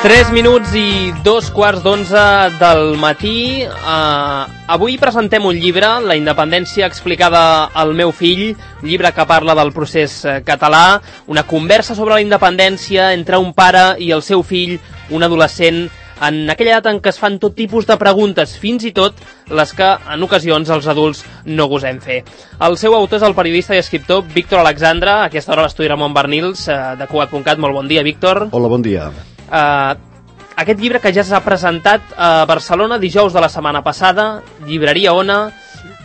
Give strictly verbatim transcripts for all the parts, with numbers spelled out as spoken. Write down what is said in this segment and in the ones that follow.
tres minuts i dos quarts d'onze del matí. Uh, avui presentem un llibre, La independència explicada al meu fill, un llibre que parla del procés català, una conversa sobre la independència entre un pare i el seu fill, un adolescent, en aquella edat en què es fan tot tipus de preguntes, fins i tot les que en ocasions els adults no gosem fer. El seu autor és el periodista i escriptor Víctor Alexandre. A aquesta hora a l'estudi Ramon Bernils, uh, de Cugat punt cat. Molt bon dia, Víctor. Hola, bon dia. Uh, aquest llibre que ja s'ha presentat a Barcelona dijous de la setmana passada, Llibreria Ona,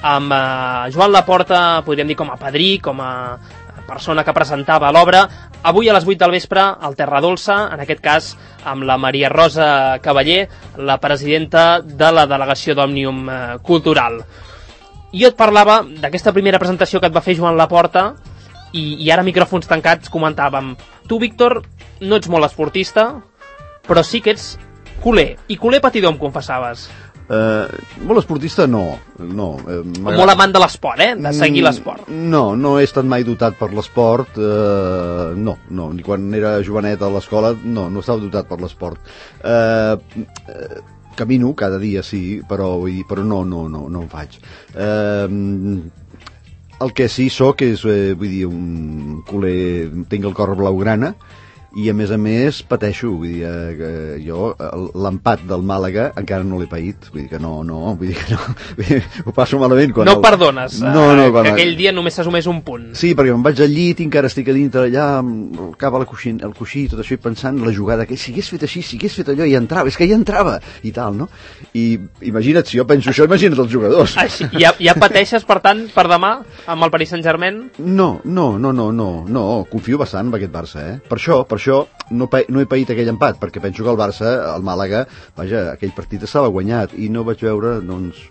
amb uh, Joan Laporta, podríem dir com a padrí, com a persona que presentava l'obra. Avui a les vuit del vespre al Terra Dolça, en aquest cas amb la Maria Rosa Cavaller, la presidenta de la delegació d'Òmnium uh, Cultural. Jo et parlava d'aquesta primera presentació que et va fer Joan Laporta i, i ara micròfons tancats comentàvem: tu, Víctor, no ets molt esportista, però sí que ets culer, i culer patidor, em confessaves. Uh, molt esportista no, no uh, molt amant de l'esport, eh? De seguir l'esport. No, no he estat mai dotat per l'esport, uh, no, no, ni quan era jovenet a l'escola, no, no estava dotat per l'esport. Uh, uh, camino cada dia, sí, però, vull dir, però no, no, no, no en faig. Uh, el que sí soc és, eh, vull dir, un culer, tinc el cor blaugrana, i a més a més pateixo, vull dir, eh, jo l'empat del Màlaga encara no l'he paït, vull dir que no, no, vull dir que no, vull dir, ho passo malament quan... No el... perdones, no, no, quan que aquell dia només s'assumeix un punt. Sí, perquè me'n vaig al llit i encara estic a dintre allà, amb el cap al coixí, al coixí i tot això, i pensant la jugada, que si hagués fet així, si hagués fet allò, i entrava, és que ja entrava, i tal, no? I imagina't, si jo penso això, imagina't els jugadors. Així, ja, ja pateixes, per tant, per demà, amb el Paris Saint-Germain? No, no, no, no, no, no, confio bastant en aquest Barça, eh? Per això, per això, no, no he paït aquell empat, perquè penso que el Barça, el Màlaga, vaja, aquell partit estava guanyat i no vaig veure, doncs,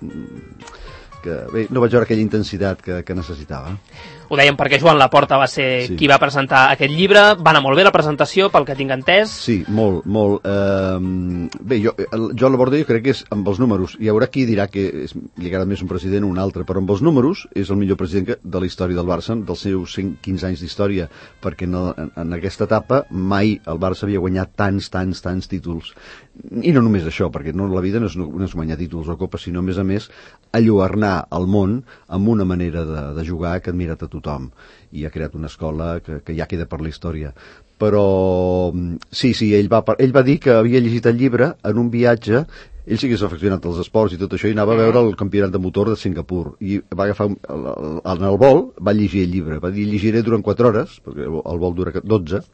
que, bé, no vaig veure aquella intensitat que, que necessitava. Ho dèiem perquè Joan Laporta va ser sí. qui va presentar aquest llibre. Va anar molt bé la presentació, pel que tinc entès. Sí, molt, molt. Eh, bé, jo, el Joan Laporta jo crec que és amb els números. Hi haurà qui dirà que és, li agrada més un president o un altre, però amb els números és el millor president de la història del Barça, dels seus cent quinze anys d'història, perquè no, en, en aquesta etapa mai el Barça havia guanyat tants, tants, tants títols. I no només això, perquè no, la vida no és, no és guanyar títols o copes, sinó, a més a més, alluernar el món amb una manera de, de jugar que admira a tothom, i ha creat una escola que, que ja queda per la història. Però sí, sí, ell va, ell va dir que havia llegit el llibre en un viatge. Ell sí que s'ha afeccionat als esports i tot això, i anava a veure el campionat de motor de Singapur, i va agafar un, el, el, en el vol va llegir el llibre, va dir llegiré durant quatre hores, perquè el vol dura dotze.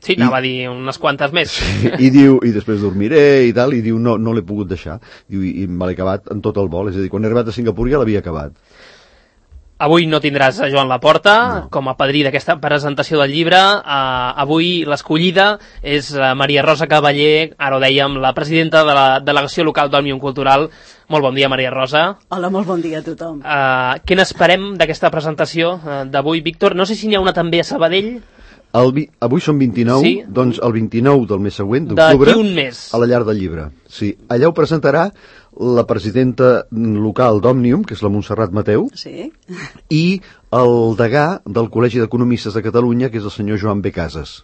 Sí, anava a dir unes quantes més. Sí, i diu, i després dormiré i tal, i diu, no, no l'he pogut deixar. Diu, i, i me l'he acabat en tot el vol, és a dir, quan he arribat a Singapur ja l'havia acabat. Avui no tindràs a Joan Laporta no. com a padrí d'aquesta presentació del llibre. Uh, avui l'escollida és uh, Maria Rosa Cavaller, ara ho dèiem, la presidenta de la delegació local d'Òmnium Cultural. Molt bon dia, Maria Rosa. Hola, molt bon dia a tothom. Uh, què n'esperem d'aquesta presentació uh, d'avui, Víctor? No sé si n'hi ha una també a Sabadell. El vi... Avui són vint-i-nou, sí? Doncs el vint-i-nou del mes següent, d'octubre, d'aquí un mes, a la Llar del Llibre. Sí, allà ho presentarà la presidenta local d'Òmnium, que és la Montserrat Mateu, sí. i el degà del Col·legi d'Economistes de Catalunya, que és el senyor Joan B. Casas.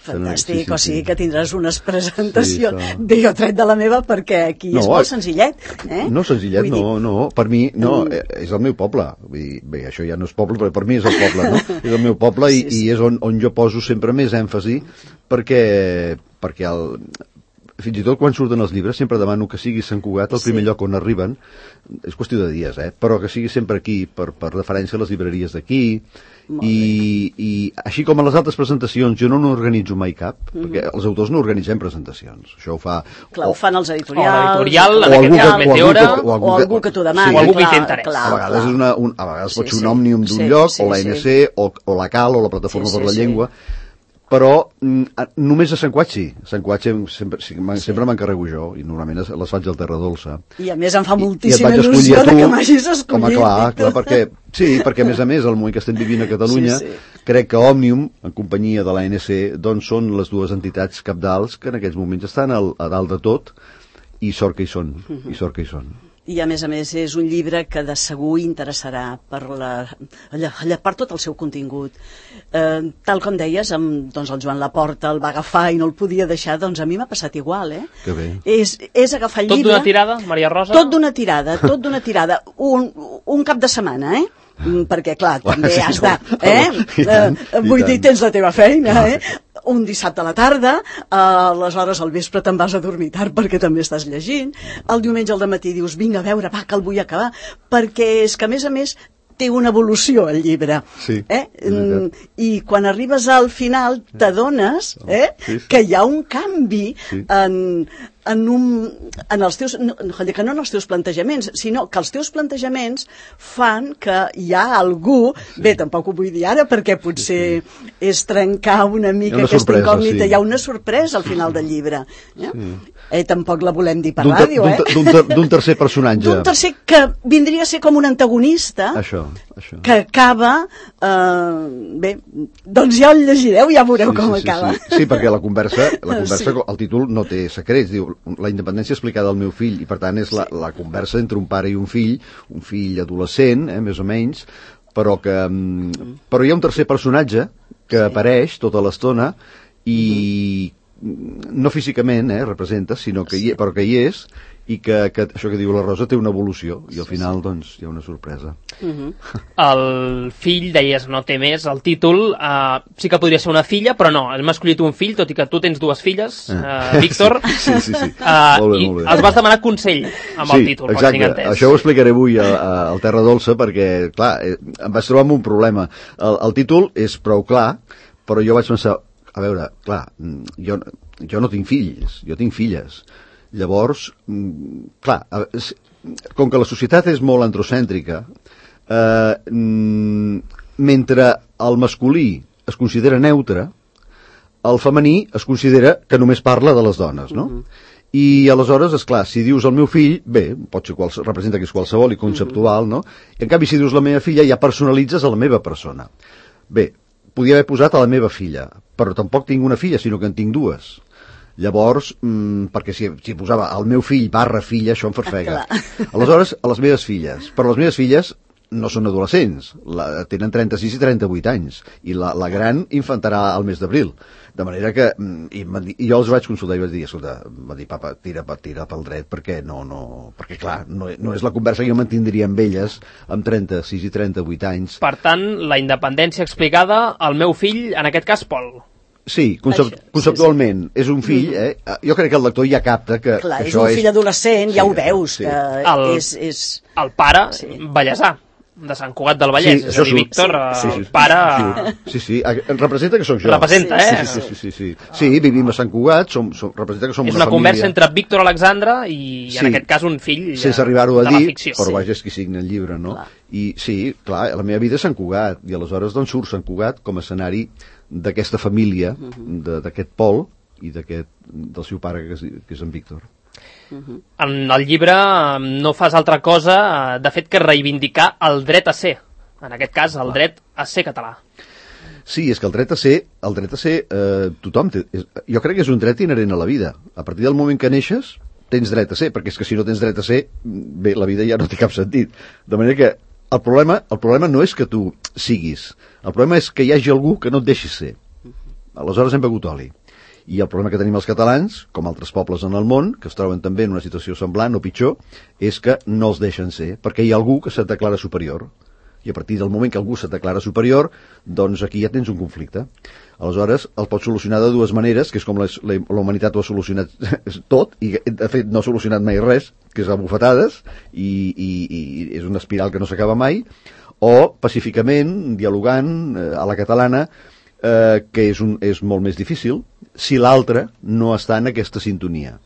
Fantàstic, sí, sí, o sigui sí. que tindràs unes presentacions. Sí, això... Bé, jo tret de la meva perquè aquí no, és molt senzillet. Eh? No, senzillet, Vull no, dir... no. Per mi, no, és el meu poble. Vull dir, bé, això ja no és poble, però per mi és el poble, no? És el meu poble i, sí, sí. i és on, on jo poso sempre més èmfasi perquè, perquè el... fins i tot quan surten els llibres sempre demano que sigui Sant Cugat el primer sí. lloc on arriben. És qüestió de dies, eh? Però que sigui sempre aquí, per, per referència a les llibreries d'aquí. I, i així com a les altres presentacions jo no n'organitzo mai cap, mm-hmm. perquè els autors no organitzem presentacions, això ho fa clar, o, ho fan els editorials, o l'editorial, en aquest cas Meteora, o, o algú que t'ho demana, sí, o algú que hi té interès. Clar, a vegades, és una, un, a vegades sí, pot ser sí. un òmnium d'un sí, lloc, sí, o l'A N C, sí. o, o la Cal, o la Plataforma sí, sí, per la sí. Llengua, però mm, només a Sant Cugat sí. A Sant Cugat sempre, sempre, sempre m'encarrego jo, i normalment les faig al Terra Dolça. I a més em fa moltíssima il·lusió de que m'hagis escollit. Home, clar, clar, perquè, sí, perquè a més a més, el moment que estem vivint a Catalunya, sí, sí. crec que Òmnium, en companyia de l'A N C, doncs són les dues entitats capdals que en aquests moments estan al, a dalt de tot, i sort que hi són, uh-huh. i sort que hi són. I a més a més és un llibre que de segur interessarà per, la, per tot el seu contingut. Eh, tal com deies, amb, doncs el Joan Laporta el va agafar i no el podia deixar, doncs a mi m'ha passat igual. Eh? Que bé. És, és agafar el tot llibre... Tot d'una tirada, Maria Rosa? Tot d'una tirada, tot d'una tirada. Un, un cap de setmana, eh? Perquè, clar, també has de... Eh? eh vull dir, tens la teva feina, eh? Un dissabte a la tarda, eh, aleshores al vespre te'n vas a dormir tard perquè també estàs llegint, el diumenge al matí dius, vinga, a veure, va, que el vull acabar, perquè és que, a més a més, té una evolució el llibre. Sí, eh? I quan arribes al final t'adones eh? sí, sí. que hi ha un canvi sí. en, en, un, en els teus, no, que no en els teus plantejaments, sinó que els teus plantejaments fan que hi ha algú, sí. bé, tampoc ho vull dir ara perquè potser sí, sí. és trencar una mica una aquesta sorpresa, incògnita, sí. hi ha una sorpresa al final del llibre. Eh? Sí. Eh, tampoc la volem dir per ràdio, eh? D'un tercer personatge. D'un tercer que vindria a ser com un antagonista, això, això. que acaba... Eh, bé, doncs ja el llegireu, ja veureu sí, com sí, sí, acaba. Sí, sí, perquè la conversa, la conversa sí. el títol no té secrets, diu la independència explicada al meu fill, i per tant és la, sí. la conversa entre un pare i un fill, un fill adolescent, eh, més o menys, però que mm. però hi ha un tercer personatge que sí. apareix tota l'estona i mm-hmm. no físicament, eh, representa, sinó que hi, però que hi és, i que, que això que diu la Rosa té una evolució, i al final, doncs, hi ha una sorpresa. Uh-huh. El fill, deies, no té més, el títol, uh, sí que podria ser una filla, però no, hem escollit un fill, tot i que tu tens dues filles, uh, Víctor, sí, sí, sí. Uh, molt bé, i molt bé. els vas demanar consell amb sí, el títol, exacte. per tinc entès. Això ho explicaré avui a, a, al Terra Dolça, perquè, clar, eh, em vaig trobar amb un problema. El, el títol és prou clar, però jo vaig pensar, a veure, clar, jo... jo no tinc fills, jo tinc filles. Llavors, clar, com que la societat és molt androcèntrica, eh, mentre el masculí es considera neutre, el femení es considera que només parla de les dones, no? Uh-huh. I aleshores, és clar, si dius el meu fill, bé, pot ser quals, representa que és qualsevol i conceptual, no? I en canvi, si dius la meva filla, ja personalitzes a la meva persona. Bé, podia haver posat a la meva filla, però tampoc tinc una filla, sinó que en tinc dues. Llavors, mmm, perquè si, si posava el meu fill barra filla, això em farfega. Aleshores, a les meves filles. Però les meves filles no són adolescents, la, tenen trenta-sis i trenta-vuit anys, i la, la gran infantarà al mes d'abril. De manera que, i, i jo els vaig consultar i vaig dir, escolta, va dir, papa, tira, tira pel dret, perquè no, no, perquè clar, no, no és la conversa que jo mantindria amb elles amb trenta-sis i trenta-vuit anys. Per tant, la independència explicada, el meu fill, en aquest cas, Pol. Sí, concept, Això, conceptualment, sí, sí. és un fill, eh? Jo crec que el lector ja capta que, clar, que és un fill és... adolescent, ja sí, ho veus, sí. que el, és, és... El pare, sí. Vallèsà, de Sant Cugat del Vallès, sí, és a dir, Víctor, sí, sí, el pare... Sí, sí, sí, representa que sóc jo. Representa, sí, eh? Sí, sí, sí, sí, sí. sí, vivim a Sant Cugat, som, som, representa que som és una, una família... conversa entre Víctor Alexandre i, sí, en aquest cas, un fill sense arribar-ho a dir, però sí. vaja, és qui signa el llibre, no? Clar. I sí, clar, la meva vida és Sant Cugat, i aleshores doncs surt Sant Cugat com a escenari d'aquesta família, d'aquest Pol i d'aquest del seu pare, que és, que és en Víctor. Uh-huh. En el llibre no fas altra cosa, de fet, que reivindicar el dret a ser. En aquest cas, el dret a ser català. Sí, és que el dret a ser, el dret a ser, eh, tothom té, és, jo crec que és un dret inherent a la vida. A partir del moment que neixes, tens dret a ser, perquè és que si no tens dret a ser, bé, la vida ja no té cap sentit. De manera que el problema, el problema no és que tu siguis, el problema és que hi hagi algú que no et deixi ser. Aleshores hem begut oli. I el problema que tenim els catalans, com altres pobles en el món, que es troben també en una situació semblant o pitjor, és que no els deixen ser, perquè hi ha algú que se't declara superior. I a partir del moment que algú se't declara superior, doncs aquí ja tens un conflicte. Aleshores, el pots solucionar de dues maneres, que és com la, la, la humanitat ho ha solucionat tot, i de fet no ha solucionat mai res, que és a bufetades, i, i, i és una espiral que no s'acaba mai, o pacíficament, dialogant, eh, a la catalana, eh, que és, un, és molt més difícil, si l'altre no està en aquesta sintonia.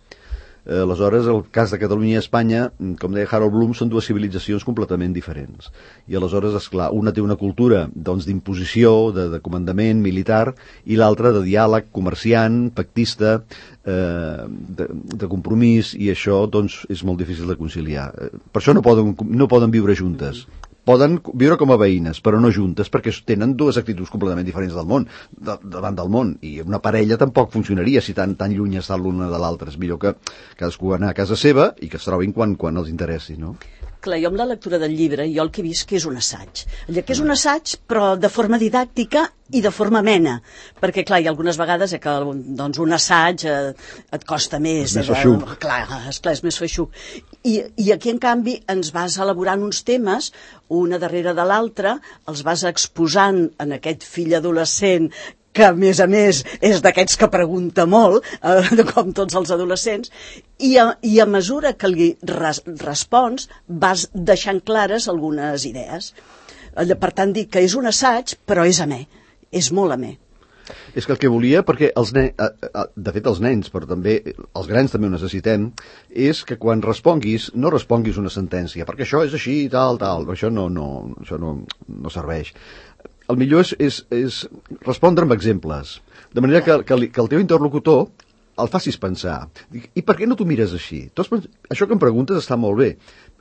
Eh, aleshores, el cas de Catalunya i Espanya, com deia Harold Bloom, són dues civilitzacions completament diferents. I aleshores, esclar, una té una cultura doncs, d'imposició, de, de comandament militar, i l'altra de diàleg, comerciant, pactista, eh, de, de compromís, i això doncs, és molt difícil de conciliar. Per això no poden, no poden viure juntes. poden viure com a veïnes, però no juntes, perquè tenen dues actituds completament diferents del món, de, davant del món, i una parella tampoc funcionaria si tan, tan lluny està l'una de l'altra. És millor que cadascú anar a casa seva i que es trobin quan, quan els interessi, no? Clar, jo amb la lectura del llibre, jo el que he vist que és un assaig. Que és un assaig, però de forma didàctica i de forma amena. Perquè, clar, hi ha algunes vegades eh, que doncs, un assaig eh, et costa més. És més feixuc. Eh, clar, esclar, és més feixuc. I, I aquí, en canvi, ens vas elaborant uns temes, una darrere de l'altra, els vas exposant en aquest fill adolescent que, a més a més, és d'aquests que pregunta molt, eh, com tots els adolescents, i a, i a mesura que li res, respons, vas deixant clares algunes idees. Per tant, dic que és un assaig, però és amè, és molt amè. És que el que volia, perquè els nens, de fet els nens, però també els grans també ho necessitem, és que quan responguis, no responguis una sentència, perquè això és així, tal, tal, això no, no, això no, no serveix. El millor és, és, és respondre amb exemples, de manera que, que, li, que el teu interlocutor el facis pensar. I per què no t'ho mires així? Tots, això que em preguntes està molt bé.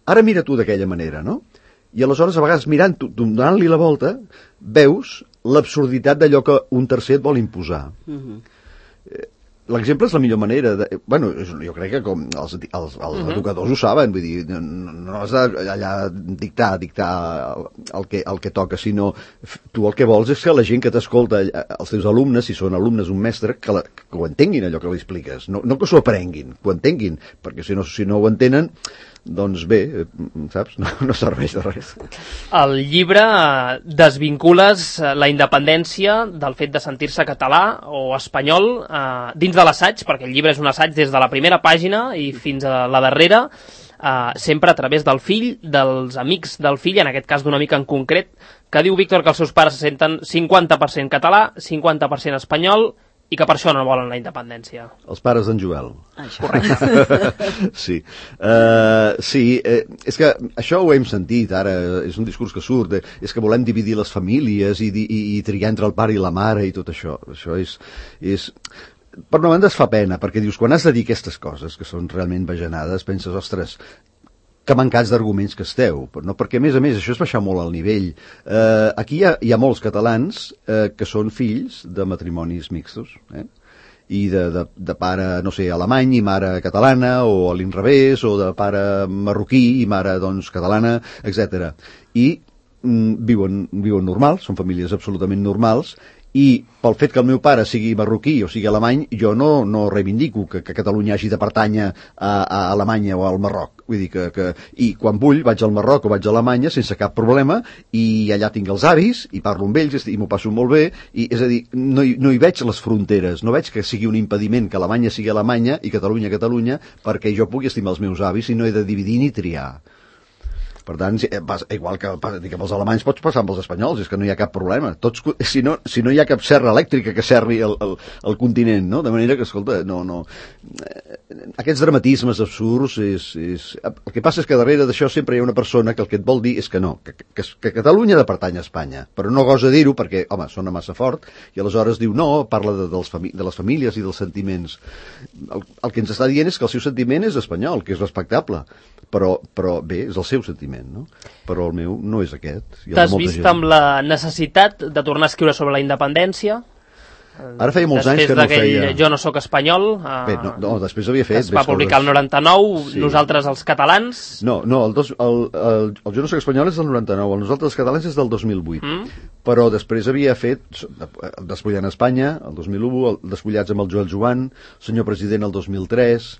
Ara mira tu d'aquella manera, no? I aleshores, a vegades, mirant, donant-li la volta, veus l'absurditat d'allò que un tercer et vol imposar. Mm-hmm. L'exemple és la millor manera. De, bueno, jo crec que com els, els, els uh-huh. educadors ho saben, vull dir, no, no has d'allà dictar, dictar el que, el que toca, sinó tu el que vols és que la gent que t'escolta, els teus alumnes, si són alumnes un mestre, que, la, que ho entenguin allò que li expliques, no, no que s'ho aprenguin, que ho entenguin, perquè si no, si no ho entenen, doncs bé, saps? No, no serveix de res. Al llibre desvincules la independència del fet de sentir-se català o espanyol eh, dins de l'assaig, perquè el llibre és un assaig des de la primera pàgina i fins a la darrera, eh, sempre a través del fill, dels amics del fill, en aquest cas d'un amic en concret, que diu Víctor que els seus pares se senten cinquanta per cent català, cinquanta per cent espanyol, i que per això no volen la independència. Els pares d'en Joel. Això. Correcte. Sí, uh, sí eh, és que això ho hem sentit ara, és un discurs que surt, eh, és que volem dividir les famílies i, i, i triar entre el pare i la mare i tot això. Això és... és... Per una banda es fa pena, perquè dius, quan has de dir aquestes coses, que són realment bajanades, penses, ostres, que mancats d'arguments que esteu, no? Perquè a més a més això és baixar molt el nivell. Eh, aquí hi ha, hi ha molts catalans eh, que són fills de matrimonis mixtos, eh? I de, de, de pare, no sé, alemany i mare catalana, o a l'inrevés, o de pare marroquí i mare, doncs, catalana, etcètera. I mm, viuen, viuen normals, són famílies absolutament normals, i pel fet que el meu pare sigui marroquí o sigui alemany, jo no, no reivindico que, que Catalunya hagi de pertànyer a, a Alemanya o al Marroc. Vull dir que, que... I quan vull vaig al Marroc o vaig a Alemanya sense cap problema, i allà tinc els avis, i parlo amb ells, i m'ho passo molt bé, i és a dir, no hi, no hi veig les fronteres, no veig que sigui un impediment que Alemanya sigui Alemanya i Catalunya Catalunya, perquè jo pugui estimar els meus avis i no he de dividir ni triar. Per tant, igual que, que amb els alemanys pots passar amb els espanyols, és que no hi ha cap problema. Tots, si, no, si no hi ha cap serra elèctrica que serri el, el, el continent, no? De manera que, escolta, no, no... Aquests dramatismes absurds, és, és... el que passa és que darrere d'això sempre hi ha una persona que el que et vol dir és que no, que, que, que Catalunya ha de pertànyer a Espanya, però no gosa dir-ho perquè, home, sona massa fort, i aleshores diu no, parla de, dels fami de les famílies i dels sentiments. El, el que ens està dient és que el seu sentiment és espanyol, que és respectable, però, però bé, és el seu sentiment, no? Però el meu no és aquest. T'has vist gent. Amb la necessitat de tornar a escriure sobre la independència? Ara feia molts anys que no feia. Jo no sóc espanyol. Bé, no, no, després havia fet. Es va publicar el noranta-nou, sí. Nosaltres els catalans... No, no, el, dos, el, el, el Jo no sóc espanyol és del noranta-nou, el Nosaltres els catalans és del dos mil vuit. Mm. Però després havia fet Despullant Espanya, el dos mil u, el Despullats amb el Joel Joan, Senyor President el dos mil tres...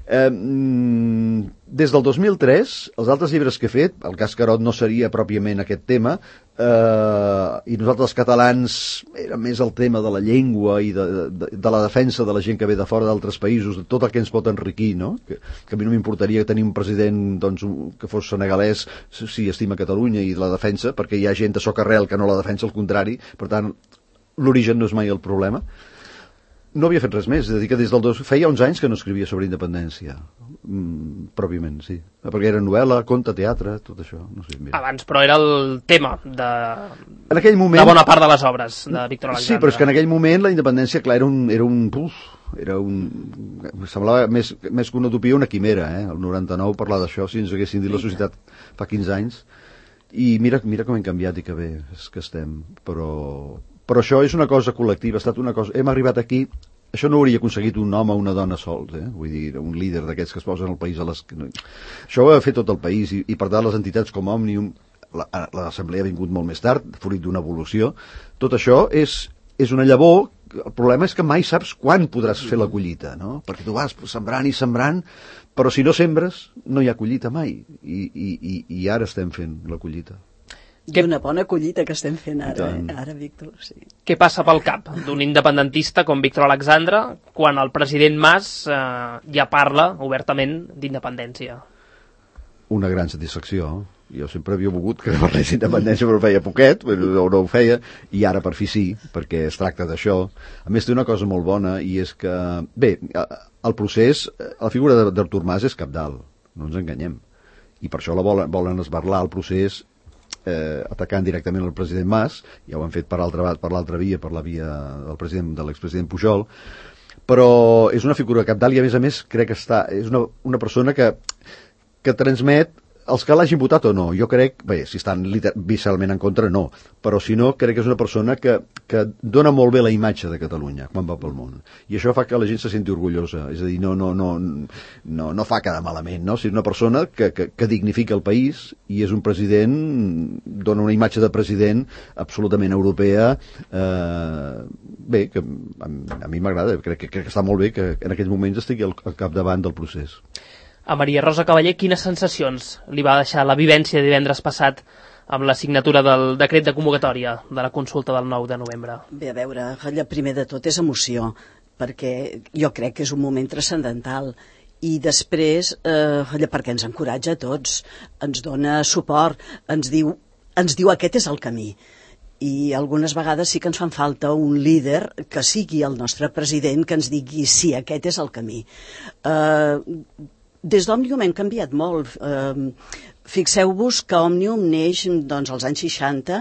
Eh, des del dos mil tres, els altres llibres que he fet, el cas Carot no seria pròpiament aquest tema, eh, i nosaltres els catalans era més el tema de la llengua i de, de, de la defensa de la gent que ve de fora d'altres països, de tot el que ens pot enriquir, no? Que, que a mi no m'importaria tenir un president, doncs, que fos senegalès si estima Catalunya i la defensa, perquè hi ha gent de socarrel que no la defensa, al contrari, per tant l'origen no és mai el problema. No havia fet res més, és a dir, que des del dos... feia uns anys que no escrivia sobre independència, mm, pròpiament, sí. Perquè era novel·la, conte, teatre, tot això, no sé. Mira. Abans, però era el tema de... En aquell moment... de bona part de les obres de Víctor Alexandre. Sí, però és que en aquell moment la independència, clar, era un... Era un uf, era un... semblava més, més que una utopia, una quimera, eh? El noranta-nou parlar d'això, si ens haguessin dit la societat fa quinze anys... I mira, mira com hem canviat i que bé és que estem, però, però això és una cosa col·lectiva, ha estat una cosa... Hem arribat aquí, això no ho hauria aconseguit un home o una dona sols, eh? Vull dir, un líder d'aquests que es posen al país a les... Això ho ha fet tot el país i, i per tant les entitats com Òmnium, l'Assemblea ha vingut molt més tard, fruit d'una evolució, tot això és, és una llavor. El problema és que mai saps quan podràs fer la collita, no? Perquè tu vas sembrant i sembrant, però si no sembres no hi ha collita mai, i, i, i ara estem fent la collita. I una bona collita que estem fent ara, eh? Ara, Víctor, sí. Què passa pel cap d'un independentista com Víctor Alexandre quan el president Mas eh, ja parla obertament d'independència? Una gran satisfacció. Jo sempre havia volgut que parlés d'independència, però feia poquet, o no ho feia, i ara per fi sí, perquè es tracta d'això. A més, té una cosa molt bona, i és que, bé, el procés, la figura d'Artur Mas és cabdal, no ens enganyem, i per això la volen, volen esbarlar el procés eh, atacant directament el president Mas, ja ho han fet per l'altra via, per la via del president, de l'expresident Pujol, però és una figura cabdal i, a més a més, crec que està, és una, una persona que, que transmet els que l'hagin votat o no. Jo crec, bé, si estan visceralment en contra, no, però si no, crec que és una persona que, que dona molt bé la imatge de Catalunya quan va pel món, i això fa que la gent se senti orgullosa, és a dir, no, no, no, no, no fa quedar malament, no? Si és una persona que, que, que dignifica el país i és un president, dona una imatge de president absolutament europea, eh, bé, que a, a mi m'agrada, crec, crec que està molt bé que en aquells moments estigui al, al capdavant del procés. A Maria Rosa Cavaller, quines sensacions li va deixar la vivència de divendres passat amb la signatura del decret de convocatòria de la consulta del nou de novembre? Bé, a veure, allà primer de tot és emoció, perquè jo crec que és un moment transcendental, i després, eh, allà perquè ens encoratja a tots, ens dona suport, ens diu, ens diu aquest és el camí. I algunes vegades sí que ens fan falta un líder que sigui el nostre president, que ens digui sí, aquest és el camí. Eh... Des d'Òmnium hem canviat molt. Eh, fixeu-vos que Òmnium neix doncs, als anys seixanta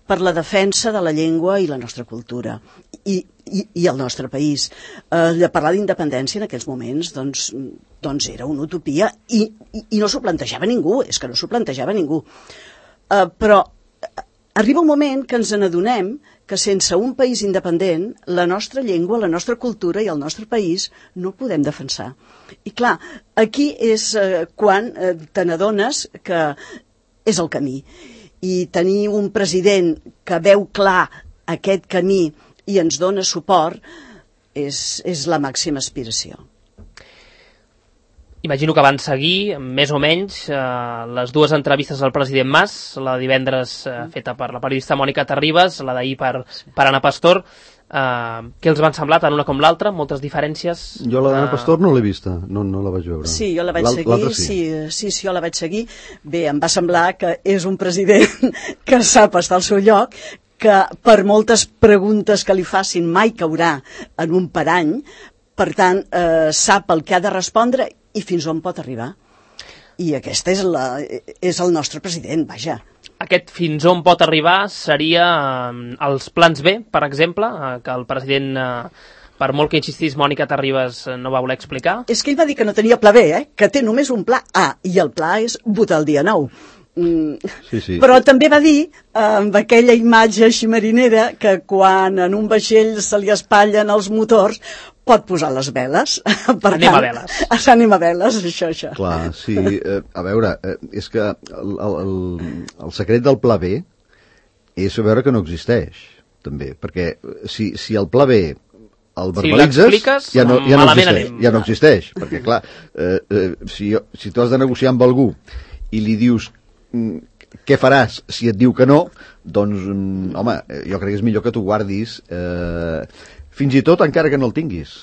per la defensa de la llengua i la nostra cultura i, i, i el nostre país. Eh, parlar d'independència en aquells moments doncs, doncs era una utopia i, i, i no s'ho plantejava ningú, és que no s'ho plantejava ningú. Eh, però arriba un moment que ens n'adonem que sense un país independent, la nostra llengua, la nostra cultura i el nostre país no podem defensar. I clar, aquí és eh, quan eh, te n'adones que és el camí. I tenir un president que veu clar aquest camí i ens dona suport és, és la màxima aspiració. Imagino que van seguir, més o menys, eh, les dues entrevistes al president Mas, la de divendres eh, feta per la periodista Mònica Terribas, la d'ahir per, per Anna Pastor. Eh, què els van semblar, tant una com l'altra? Moltes diferències? Jo la d'Anna Pastor no l'he vista, no, no la vaig veure. Sí, jo la vaig seguir, sí. Sí, sí, sí, jo la vaig seguir. Bé, em va semblar que és un president que sap estar al seu lloc, que per moltes preguntes que li facin mai caurà en un parany, per tant, eh, sap el que ha de respondre i fins on pot arribar. I aquest és, la, és el nostre president, vaja. Aquest fins on pot arribar seria eh, els plans B, per exemple, eh, que el president, eh, per molt que insistís Mònica Terribas, eh, no va voler explicar? És que ell va dir que no tenia pla B, eh? Que té només un pla A, i el pla és votar el dia nou. Mm. Sí, sí. Però també va dir, eh, amb aquella imatge així marinera, que quan en un vaixell se li espatllen els motors pot posar les veles. Per anem tant, a veles. Anem a veles, això, això. Clar, sí. Eh, a veure, eh, és que el, el, el secret del pla B és veure que no existeix, també, perquè si, si el pla B el verbalitzes, si ja no, ja no existeix, anem. ja no existeix, perquè clar, eh, eh, si, si tu has de negociar amb algú i li dius què faràs si et diu que no, doncs, home, jo crec que és millor que tu guardis, eh, fins i tot encara que no el tinguis,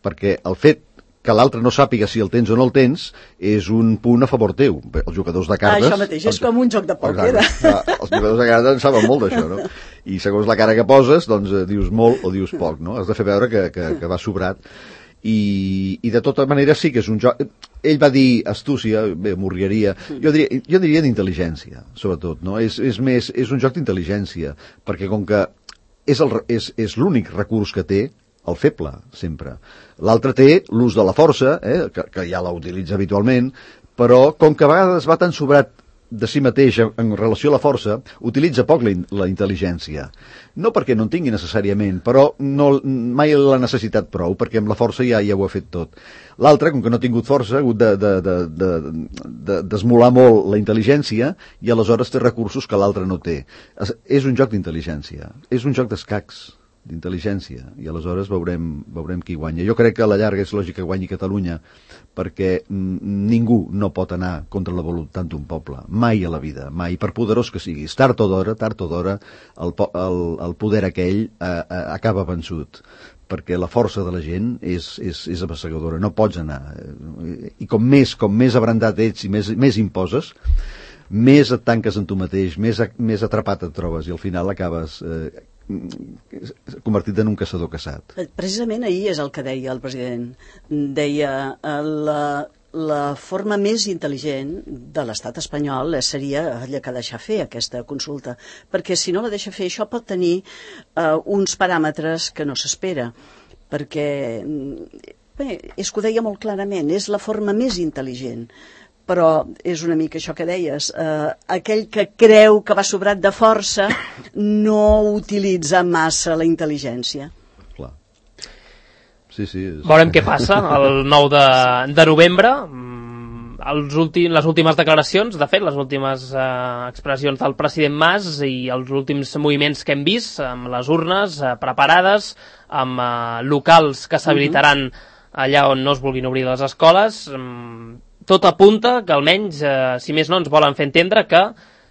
perquè el fet que l'altre no sàpiga si el tens o no el tens és un punt a favor teu. Els jugadors de cartes... Ah, això mateix, és com un joc de pòquer. Els jugadors de cartes en saben molt d'això, no? I segons la cara que poses, doncs dius molt o dius poc, no? Has de fer veure que, que, que va sobrat. I, i de tota manera sí que és un joc... Ell va dir astúcia, bé, morrieria, jo diria, jo diria d'intel·ligència, sobretot, no? És, és, més, és un joc d'intel·ligència, perquè com que és, el, és, és l'únic recurs que té, el feble, sempre. L'altre té l'ús de la força, eh, que, que ja la utilitza habitualment, però com que a vegades va tan sobrat de si mateix en relació a la força, utilitza poc la, la intel·ligència. No perquè no en tingui necessàriament, però no, mai l'ha necessitat prou, perquè amb la força ja, ja ho ha fet tot. L'altre, com que no ha tingut força, ha hagut de, de, de, de, de, d'esmolar molt la intel·ligència i aleshores té recursos que l'altre no té. És un joc d'intel·ligència, és un joc d'escacs d'intel·ligència, i aleshores veurem, veurem qui guanya. Jo crec que a la llarga és lògic que guanyi Catalunya, perquè ningú no pot anar contra la voluntat d'un poble, mai a la vida, mai, per poderós que siguis. Tard o d'hora, tard o d'hora, el, el, el poder aquell eh, eh, acaba vençut, perquè la força de la gent és, és, és abassegadora, no pots anar. I com més, com més abrandat ets i més, més imposes, més et tanques en tu mateix, més, més atrapat et trobes, i al final acabes eh, convertit en un caçador caçat. Precisament ahir és el que deia el president. Deia la, la forma més intel·ligent de l'estat espanyol seria allò que deixar fer aquesta consulta, perquè si no la deixa fer això pot tenir uh, uns paràmetres que no s'espera, perquè bé, és que ho deia molt clarament, és la forma més intel·ligent, però és una mica això que deies, eh, aquell que creu que va sobrat de força no utilitza massa la intel·ligència. Clar. Sí, sí. És... Veurem què passa el nou de, de novembre. Els últim, les últimes declaracions, de fet, les últimes eh, expressions del president Mas i els últims moviments que hem vist, amb les urnes eh, preparades, amb eh, locals que s'habilitaran allà on no es vulguin obrir les escoles, eh, tot apunta que almenys, eh, si més no, ens volen fer entendre que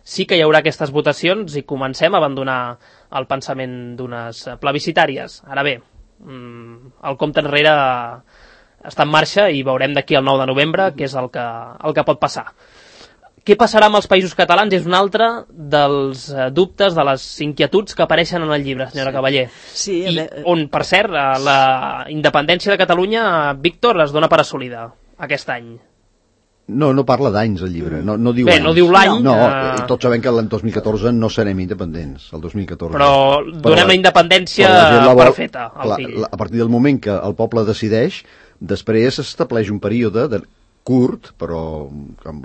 sí que hi haurà aquestes votacions i comencem a abandonar el pensament d'unes plebiscitàries. Ara bé, el compte enrere està en marxa i veurem d'aquí al nou de novembre què és el que, el que pot passar. Què passarà amb els països catalans és un altre dels dubtes, de les inquietuds que apareixen en el llibre, senyora Cavaller. Sí, I on, per cert, la independència de Catalunya, Víctor, es dona per assolida aquest any. No, no parla d'anys el llibre, no, no diu Bé, anys. no diu l'any. No, uh... tots sabem que l'any dos mil catorze no serem independents, el dos mil catorze. Però donem però, la independència la per feta al fill. La, a partir del moment que el poble decideix, després s'estableix un període de, curt, però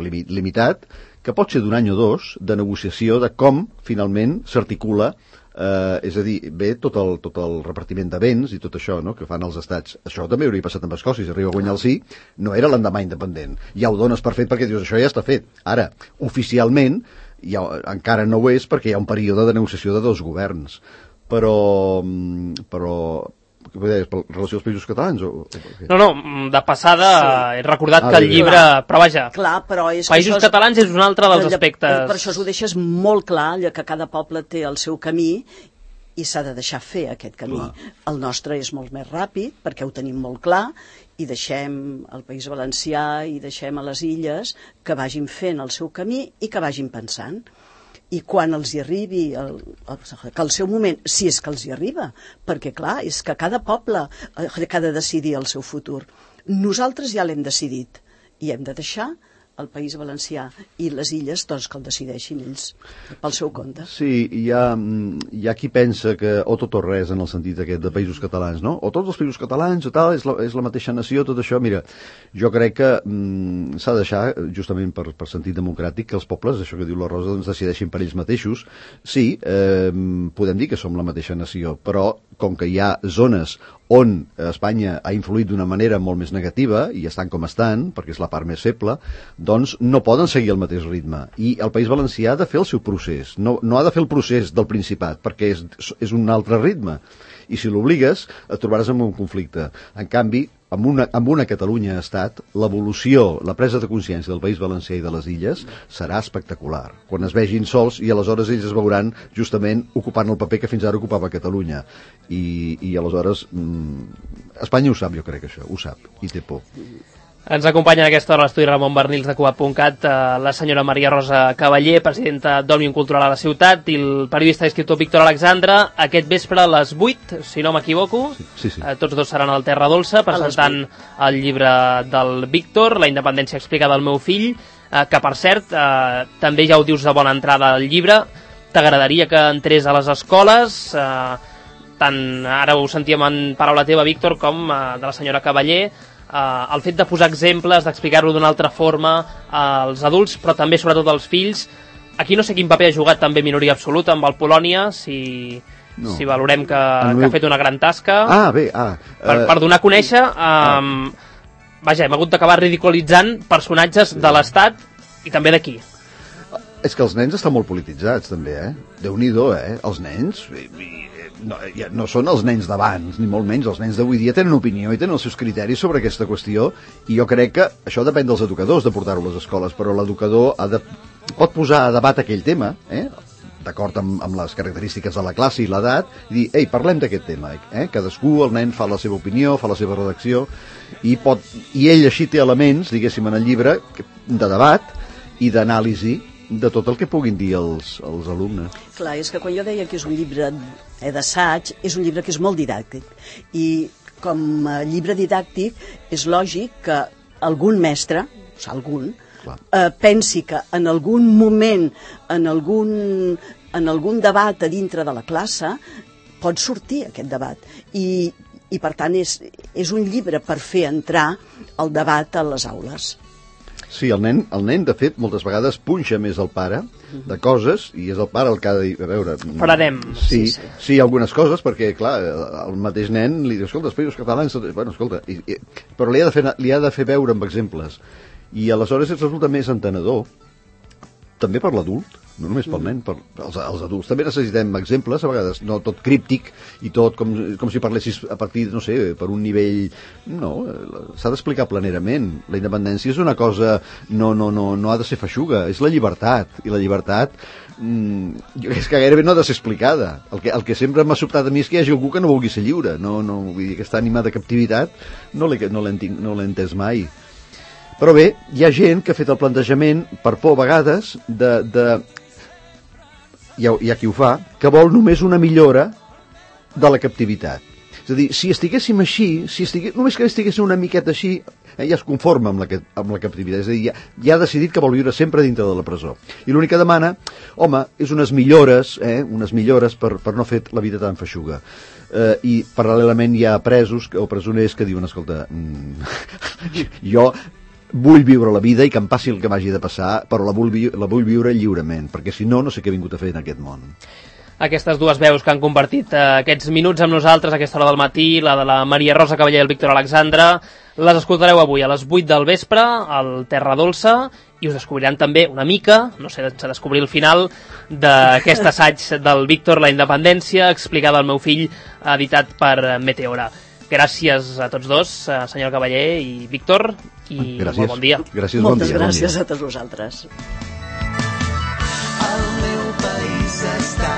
limitat, que pot ser d'un any o dos, de negociació de com, finalment, s'articula Eh, és a dir, ve tot el, tot el repartiment de béns i tot això, no?, que fan els estats. Això també hauria passat amb Escòcia, si arriba a guanyar el sí, no era l'endemà independent. Ja ho dones per fet perquè dius, això ja està fet. Ara, oficialment, ja, encara no ho és perquè hi ha un període de negociació de dos governs. Però... però què deies, per relació als països catalans? O, o no, no, de passada sí. He recordat ah, que el llibre... Clar, però vaja, clar, però és països és, catalans és un altre dels aspectes... Per això ho deixes molt clar, que cada poble té el seu camí i s'ha de deixar fer aquest camí. Clar. El nostre és molt més ràpid, perquè ho tenim molt clar, i deixem el País Valencià i deixem a les illes que vagin fent el seu camí i que vagin pensant. I quan els hi arribi el, el, que el seu moment, si és que els hi arriba, perquè clar, és que cada poble ha de decidir el seu futur. Nosaltres ja l'hem decidit i hem de deixar el País Valencià i les illes, doncs, que el decideixin ells pel seu compte. Sí, hi ha, hi ha qui pensa que o tot o res en el sentit aquest de països catalans, no? O tots els països catalans o tal, és la, és la mateixa nació, tot això. Mira, jo crec que mm, s'ha de deixar, justament per, per sentit democràtic, que els pobles, això que diu la Rosa, doncs decideixin per ells mateixos. Sí, eh, podem dir que som la mateixa nació, però com que hi ha zones on Espanya ha influït d'una manera molt més negativa, i estan com estan, perquè és la part més feble, doncs no poden seguir el mateix ritme. I el País Valencià ha de fer el seu procés, no, no ha de fer el procés del Principat, perquè és, és un altre ritme. I si l'obligues, et trobaràs en un conflicte. En canvi, amb una, amb una Catalunya estat, l'evolució, la presa de consciència del País Valencià i de les illes serà espectacular. Quan es vegin sols, i aleshores ells es veuran justament ocupant el paper que fins ara ocupava Catalunya. I, i aleshores mmm, Espanya ho sap, jo crec, això, ho sap, i té por. Ens acompanya en aquesta hora a l'estudi Ramon Bernils de Cugat punt cat eh, la senyora Maria Rosa Cavaller, presidenta d'Òmnium Cultural a la ciutat, i el periodista i escriptor Víctor Alexandre. Aquest vespre a les vuit, si no m'equivoco, sí, sí, sí. eh, tots dos seran al Terra Dolça presentant el llibre del Víctor, La independència explicada al meu fill, eh, que per cert, eh, també ja ho dius de bona entrada al llibre, t'agradaria que entrés a les escoles, eh, tant ara ho sentíem en paraula teva, Víctor, com eh, de la senyora Cavaller. eh, el fet de posar exemples, d'explicar-ho d'una altra forma als adults, però també sobretot als fills. Aquí no sé quin paper ha jugat també minoria absoluta amb el Polònia, si, no. si valorem que, meu... que ha fet una gran tasca. Ah, bé, ah. Per, per donar a conèixer... Um, ah. Vaja, hem hagut d'acabar ridiculitzant personatges sí. de l'Estat i també d'aquí. És que els nens estan molt polititzats, també, eh? Déu-n'hi-do, eh? Els nens... No, ja no són els nens d'abans, ni molt menys. Els nens d'avui dia tenen opinió i tenen els seus criteris sobre aquesta qüestió, i jo crec que això depèn dels educadors, de portar-ho a les escoles, però l'educador ha de, pot posar a debat aquell tema, eh? d'acord amb, amb les característiques de la classe i l'edat, i dir, ei, parlem d'aquest tema. Eh? Cadascú, el nen, fa la seva opinió, fa la seva redacció, i, pot, i ell així té elements, diguéssim, en el llibre, de debat i d'anàlisi de tot el que puguin dir els, els alumnes. Clar, és que quan jo deia que és un llibre eh, d'assaig, és un llibre que és molt didàctic. I com a llibre didàctic és lògic que algun mestre, o sigui, algun, eh, pensi que en algun moment, en algun, en algun debat a dintre de la classe, pot sortir aquest debat. I, i per tant, és, és un llibre per fer entrar el debat a les aules. Sí, el nen, el nen, de fet, moltes vegades punxa més el pare de coses, i és el pare el que ha de dir, a veure... Farem. Sí, sí, sí. sí, algunes coses, perquè, clar, el mateix nen li diu, escolta, els països catalans... Bueno, escolta, i, i, però li ha, de fer, li ha de fer veure amb exemples. I aleshores resulta més entenedor, també per l'adult, no només pel nen, per, els, els adults també necessitem exemples, a vegades no tot críptic i tot com, com si parlessis a partir, no sé, per un nivell... No, s'ha d'explicar planerament. La independència és una cosa, no, no, no, no ha de ser feixuga, és la llibertat, i la llibertat mmm, és que gairebé no ha de ser explicada. El que, el que sempre m'ha sobtat a mi és que hi hagi algú que no vulgui ser lliure, no, no, vull dir, aquesta ànima de captivitat no l'he no no entès mai. Però bé, hi ha gent que ha fet el plantejament, per por a vegades, de... de hi ha, hi ha qui ho fa, que vol només una millora de la captivitat. És a dir, si estiguéssim així, si estigués, només que estiguéssim una miqueta així, eh, ja es conforma amb la, amb la captivitat. És a dir, ja, ja ha decidit que vol viure sempre dintre de la presó. I l'únic que demana, home, és unes millores, eh, unes millores per, per no fer la vida tan feixuga. Eh, I paral·lelament hi ha presos o presoners que diuen, escolta, mm, jo... vull viure la vida i que em passi el que m'hagi de passar, però la vull, la vull viure lliurement, perquè si no, no sé què he vingut a fer en aquest món. Aquestes dues veus que han compartit eh, aquests minuts amb nosaltres a aquesta hora del matí, la de la Maria Rosa Cavaller i el Víctor Alexandre, les escoltareu avui a les vuit del vespre al Terra Dolça, i us descobriran també una mica, no sé, de descobrir el final d'aquest assaig del Víctor, La independència, explicada al meu fill, editat per Meteora. Gràcies a tots dos, senyor Cavaller i Víctor, i gràcies. Molt bon dia. Gràcies, Moltes bon dia, gràcies bon dia. a tots vosaltres. El meu país està